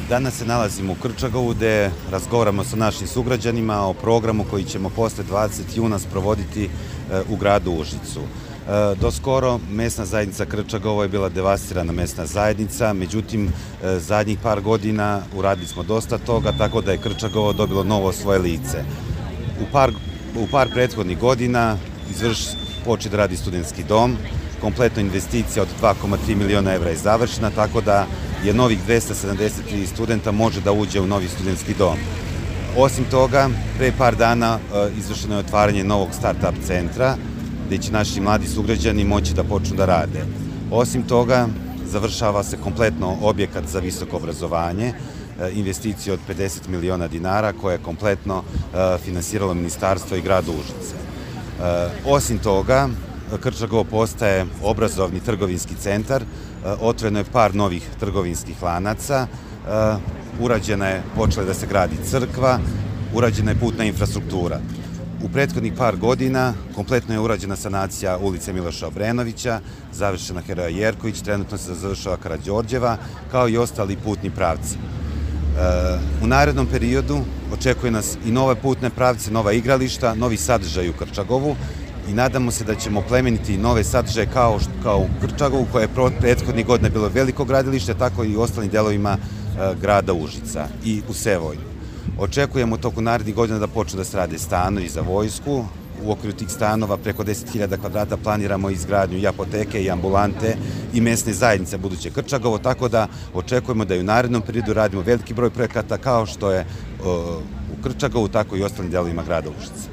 Danas se nalazimo u Krčagovu gde razgovaramo sa našim sugrađanima o programu koji ćemo posle 20. juna sprovoditi u gradu Užicu. Do skoro mesna zajednica Krčagovo je bila devastirana mesna zajednica, međutim zadnjih par godina uradili smo dosta toga, tako da je Krčagovo dobilo novo svoje lice. U par prethodnih godina počeo da radi studentski dom, kompletna investicija od 2,3 miliona evra je završena, tako da je novih 273 studenta može da uđe u novi studentski dom. Osim toga, pre par dana izvršeno je otvaranje novog start-up centra, gde će naši mladi sugrađani moći da počnu da rade. Osim toga, završava se kompletno objekat za visoko obrazovanje, investicija od 50 miliona dinara koje je kompletno finansiralo ministarstvo i grad Užice. Osim toga, Krčagovo postaje obrazovni trgovinski centar, otvoreno je par novih trgovinskih lanaca, počela je da se gradi crkva, urađena je putna infrastruktura. U prethodnih par godina kompletno je urađena sanacija ulice Miloša Obrenovića, završena Heroja Jerković, trenutno se završava Karađorđeva, kao i ostali putni pravci. U narednom periodu očekuje nas i nove putne pravce, nova igrališta, novi sadržaj u Krčagovu i nadamo se da ćemo plemeniti nove sadržaje kao u Krčagovu, koje je prethodnih godina bilo veliko gradilište, tako i u ostalim delovima grada Užica i u Sevojnu. Očekujemo toku narednih godina da počnu da se rade stanovi za vojsku. U okviru tih stanova preko 10.000 kvadrata planiramo izgradnju i apoteke i ambulante i mesne zajednice buduće Krčagovo, tako da očekujemo da i u narednom periodu radimo veliki broj projekata kao što je u Krčagovu, tako i u ostalim delovima grada Užica.